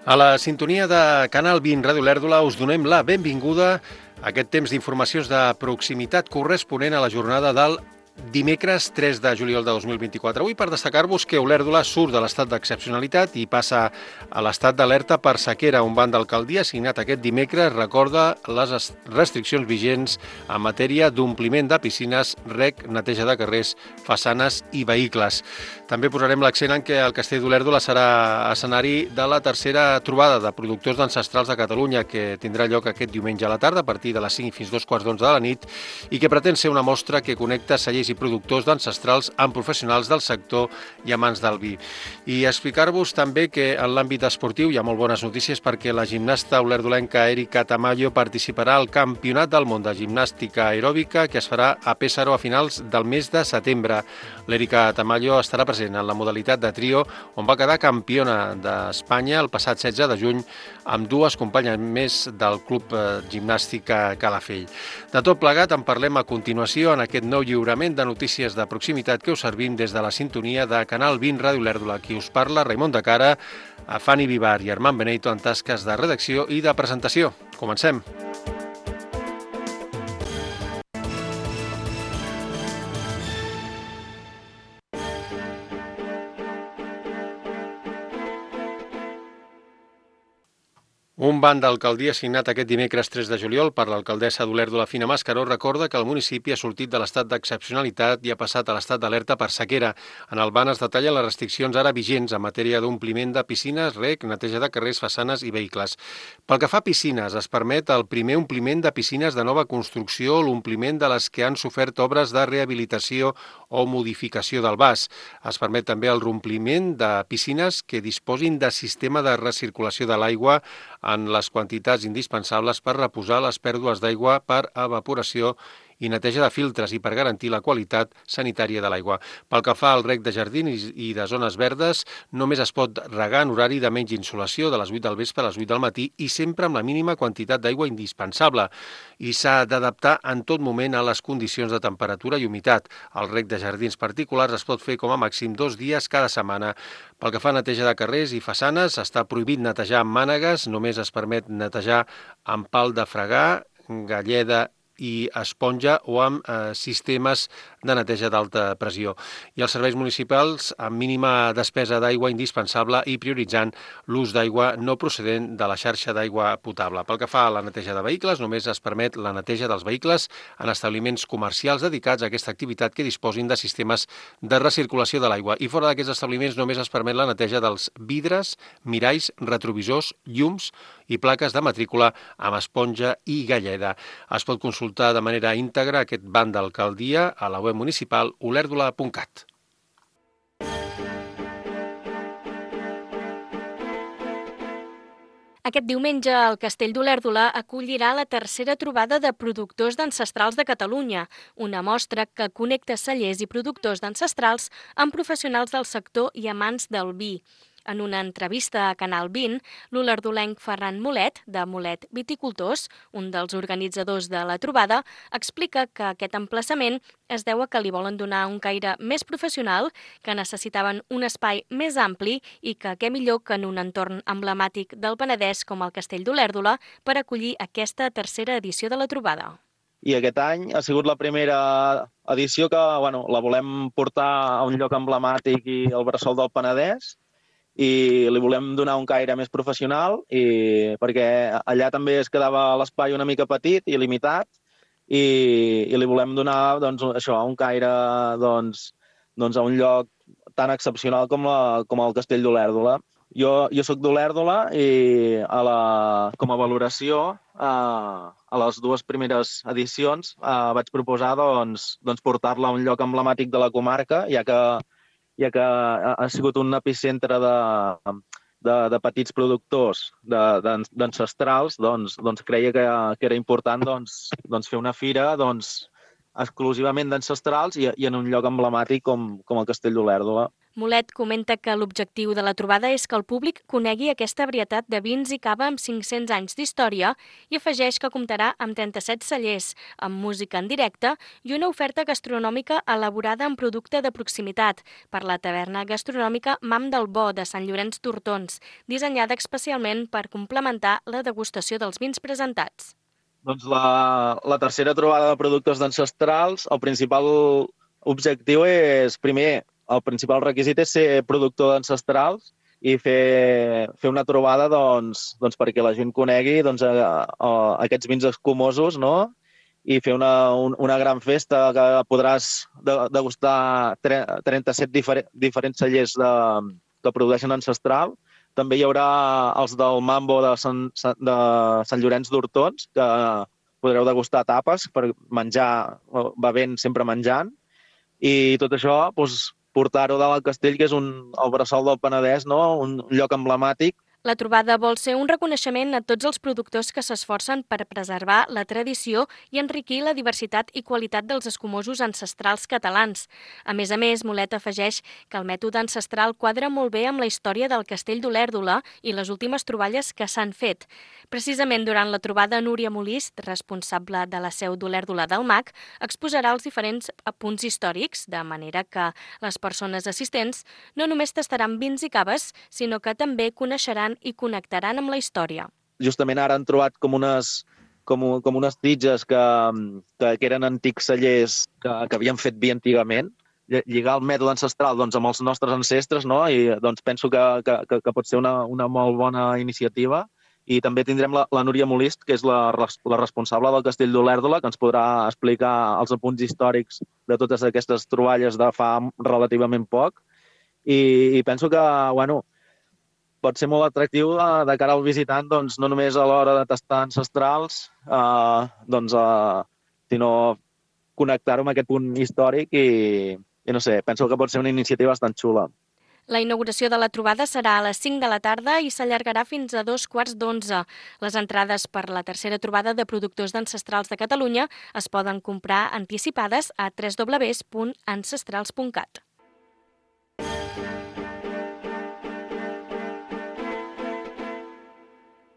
A la sintonia de Canal 20 Ràdio Lèrdula us donem la benvinguda a aquest temps d'informacions de proximitat corresponent a la jornada del dimecres 3 de juliol de 2024. Avui per destacar-vos que Olèrdola surt de l'estat d'excepcionalitat i passa a l'estat d'alerta per sequera. Un banc d'alcaldia signat aquest dimecres recorda les restriccions vigents en matèria d'ompliment de piscines, rec, neteja de carrers, façanes i vehicles. També posarem l'accent en que el Castell d'Olèrdola serà escenari de la tercera trobada de productors d'ancestrals de Catalunya, que tindrà lloc aquest diumenge a la tarda a partir de les 5 fins 2:15 de la nit i que pretén ser una mostra que connecta cellers i productors d'ancestrals amb professionals del sector i amants del vi. I explicar-vos també que en l'àmbit esportiu hi ha molt bones notícies perquè la gimnasta olerdolenca Erika Tamayo participarà al Campionat del Món de Gimnàstica Aeròbica que es farà a Pésaro a finals del mes de setembre. L'Erika Tamayo estarà present en la modalitat de trio on va quedar campiona d'Espanya el passat 16 de juny amb dues companyes més del Club Gimnàstica Calafell. De tot plegat en parlem a continuació en aquest nou lliurament de notícies de proximitat que us servim des de la sintonia de Canal 20 Ràdio Lèrdula. Qui us parla, Raimon de Cara, a Fanny Vivar i Armand Benito en tasques de redacció i de presentació. Comencem. Un banc d'alcaldia signat aquest dimecres 3 de juliol per l'alcaldessa d'Olèrdola, Fina Mascaró, recorda que el municipi ha sortit de l'estat d'excepcionalitat i ha passat a l'estat d'alerta per sequera. En el banc es detallen les restriccions ara vigents en matèria d'ompliment de piscines, rec, neteja de carrers, façanes i vehicles. Pel que fa a piscines, es permet el primer ompliment de piscines de nova construcció o l'ompliment de les que han sofert obres de rehabilitació o modificació del vas. Es permet també el reompliment de piscines que disposin de sistema de recirculació de l'aigua en les quantitats indispensables per reposar les pèrdues d'aigua per evaporació i neteja de filtres i per garantir la qualitat sanitària de l'aigua. Pel que fa al rec de jardins i de zones verdes, només es pot regar en horari de menys insolació, de les 8 del vespre a les 8 del matí i sempre amb la mínima quantitat d'aigua indispensable. I s'ha d'adaptar en tot moment a les condicions de temperatura i humitat. El rec de jardins particulars es pot fer com a màxim 2 dies cada setmana. Pel que fa a neteja de carrers i façanes, està prohibit netejar amb mànegues, només es permet netejar amb pal de fregar, galleda i esponja o amb sistemes de neteja d'alta pressió. I els serveis municipals amb mínima despesa d'aigua indispensable i prioritzant l'ús d'aigua no procedent de la xarxa d'aigua potable. Pel que fa a la neteja de vehicles, només es permet la neteja dels vehicles en establiments comercials dedicats a aquesta activitat que disposin de sistemes de recirculació de l'aigua. I fora d'aquests establiments només es permet la neteja dels vidres, miralls, retrovisors, llums i plaques de matrícula amb esponja i galleda. Es pot consultar de manera íntegra aquest banc d'alcaldia a la web municipal olèrdola.cat. Aquest diumenge el Castell d'Olèrdola acollirà la tercera trobada de productors d'ancestrals de Catalunya, una mostra que connecta cellers i productors d'ancestrals amb professionals del sector i amants del vi. En una entrevista a Canal 20, l'olerdolenc Ferran Molet, de Molet Viticultors, un dels organitzadors de la trobada, explica que aquest emplaçament es deu a que li volen donar un caire més professional, que necessitaven un espai més ampli i que què millor que en un entorn emblemàtic del Penedès com el Castell d'Olèrdola per acollir aquesta tercera edició de la trobada. I aquest any ha sigut la primera edició que la volem portar a un lloc emblemàtic i al bressol del Penedès, i li volem donar un caire més professional perquè allà també es quedava l'espai una mica petit i limitat i li volem donar un caire a un lloc tan excepcional com el Castell d'Olèrdola. Jo soc d'Olèrdola i com a valoració a les dues primeres edicions vaig proposar portar-la a un lloc emblemàtic de la comarca, ja que ha sigut un epicentre de petits productors d'ancestrals, creia que era important fer una fira exclusivament d'ancestrals i en un lloc emblemàtic com el Castell d'Olèrdola. Molet comenta que l'objectiu de la trobada és que el públic conegui aquesta varietat de vins i cava amb 500 anys d'història i afegeix que comptarà amb 37 cellers, amb música en directe i una oferta gastronòmica elaborada amb producte de proximitat per la taverna gastronòmica Mam del Bo de Sant Llorenç d'Hortons, dissenyada especialment per complementar la degustació dels vins presentats. Doncs la tercera trobada de productors d'ancestrals, el principal objectiu és, primer, el principal requisit és ser productor d'ancestrals i fer una trobada perquè la gent conegui aquests vins escumosos, no? I fer una gran festa que podràs degustar 37 diferents cellers que produeixen ancestral. També hi haurà els del Mambo de Sant Llorenç d'Hortons, que podreu degustar tapes per menjar, bevent, sempre menjant. I tot això, portar-ho dalt al castell, que és el bressol del Penedès, no? Un lloc emblemàtic. La trobada vol ser un reconeixement a tots els productors que s'esforcen per preservar la tradició i enriquir la diversitat i qualitat dels escumosos ancestrals catalans. A més, Molet afegeix que el mètode ancestral quadra molt bé amb la història del Castell d'Olèrdola i les últimes troballes que s'han fet. Precisament durant la trobada, Núria Molist, responsable de la seu d'Olèrdola del MAC, exposarà els diferents punts històrics, de manera que les persones assistents no només tastaran vins i caves, sinó que també coneixeran i connectaran amb la història. Justament ara han trobat com unes titges que eren antics cellers que havien fet vi antigament, lligar el mètode ancestral amb els nostres ancestres, no? I penso que pot ser una molt bona iniciativa. I també tindrem la Núria Molist, que és la responsable del Castell d'Olèrdola, que ens podrà explicar els apunts històrics de totes aquestes troballes de fa relativament poc. I penso que, pot ser molt atractiu de cara al visitant, no només a l'hora de tastar ancestrals, sinó connectar-ho amb aquest punt històric i no sé, penso que pot ser una iniciativa bastant xula. La inauguració de la trobada serà a les 5 de la tarda i s'allargarà fins a 11:15. Les entrades per la tercera trobada de productors d'ancestrals de Catalunya es poden comprar anticipades a www.ancestrals.cat.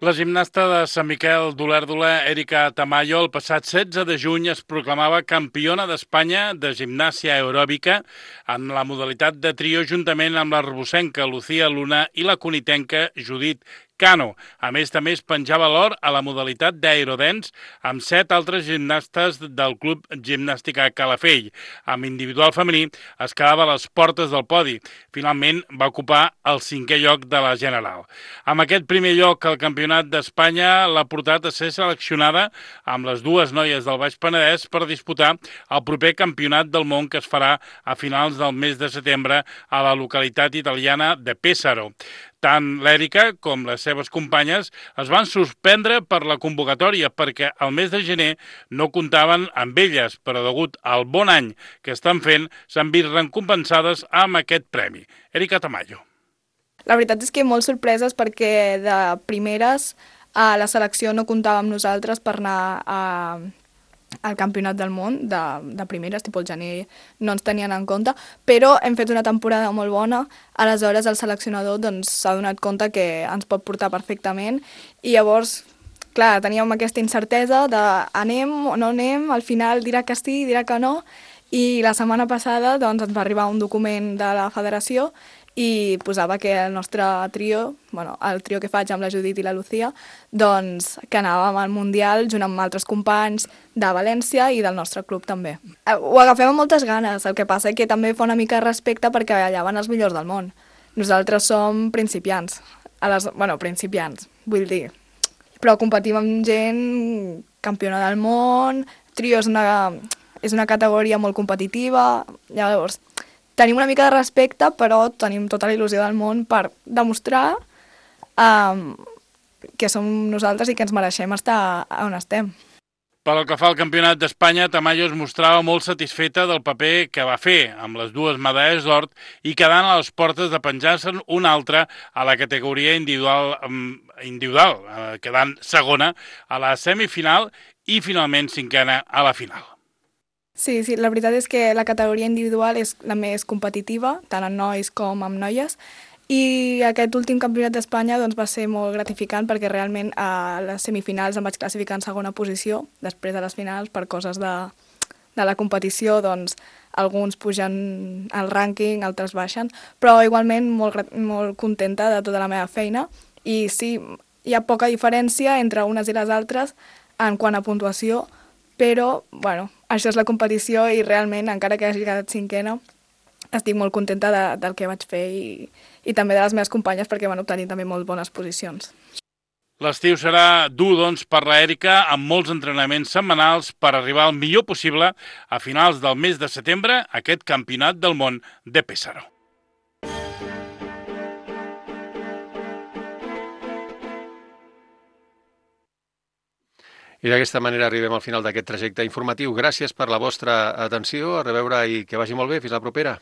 La gimnasta de Sant Miquel d'Olèrdola, Erika Tamayo, el passat 16 de juny es proclamava campiona d'Espanya de gimnàsia aeròbica en la modalitat de trio juntament amb la rebosenca Lucía Luna i la conitenca Judit Cano. A més, també es penjava l'or a la modalitat d'aerodance amb 7 altres gimnastes del Club Gimnàstica Calafell. Amb individual femení es quedava a les portes del podi. Finalment va ocupar el 5è lloc de la general. Amb aquest primer lloc al Campionat d'Espanya l'ha portat a ser seleccionada amb les dues noies del Baix Penedès per disputar el proper Campionat del Món que es farà a finals del mes de setembre a la localitat italiana de Pesaro. Tant l'Èrica com les seves companyes es van suspendre per la convocatòria perquè al mes de gener no comptaven amb elles, però degut al bon any que estan fent s'han vist recompensades amb aquest premi. Erika Tamayo. La veritat és que molt sorpreses perquè de primeres la selecció no comptava amb nosaltres per anar al Campionat del Món de primeres, tipus el gener no ens tenien en compte, però hem fet una temporada molt bona, aleshores el seleccionador s'ha donat compte que ens pot portar perfectament i llavors, clar, teníem aquesta incertesa de anem o no anem, al final dirà que sí, dirà que no, i la setmana passada ens va arribar un document de la federació i posava que el nostre trio, el trio que faig amb la Judit i la Lucía, que anàvem al Mundial junt amb altres companys de València i del nostre club també. Ho agafem amb moltes ganes, el que passa és que també fa una mica de respecte perquè allà van els millors del món. Nosaltres som principiants, principiants, vull dir, però competim amb gent campiona del món, trio és una categoria molt competitiva, llavors tenim una mica de respecte, però tenim tota la il·lusió del món per demostrar que som nosaltres i que ens mereixem estar on estem. Pel que fa al Campionat d'Espanya, Tamayo es mostrava molt satisfeta del paper que va fer amb les dues medalles d'or i quedant a les portes de penjar-se'n una altra a la categoria individual, quedant segona a la semifinal i finalment cinquena a la final. Sí, la veritat és que la categoria individual és la més competitiva, tant en nois com en noies, i aquest últim campionat d'Espanya doncs, va ser molt gratificant perquè realment a les semifinals em vaig classificar en segona posició, després de les finals, per coses de la competició, doncs alguns pugen al rànquing, altres baixen, però igualment molt contenta de tota la meva feina i sí, hi ha poca diferència entre unes i les altres en quant a puntuació, però bueno, això és la competició i realment, encara que hagi quedat cinquena, estic molt contenta del que vaig fer i també de les meves companyes perquè van obtenir també molt bones posicions. L'estiu serà dur, doncs, per l'Èrica, amb molts entrenaments setmanals per arribar al millor possible a finals del mes de setembre a aquest Campionat del Món de Pesaro. I d'aquesta manera arribem al final d'aquest trajecte informatiu. Gràcies per la vostra atenció, a reveure i que vagi molt bé. Fins la propera.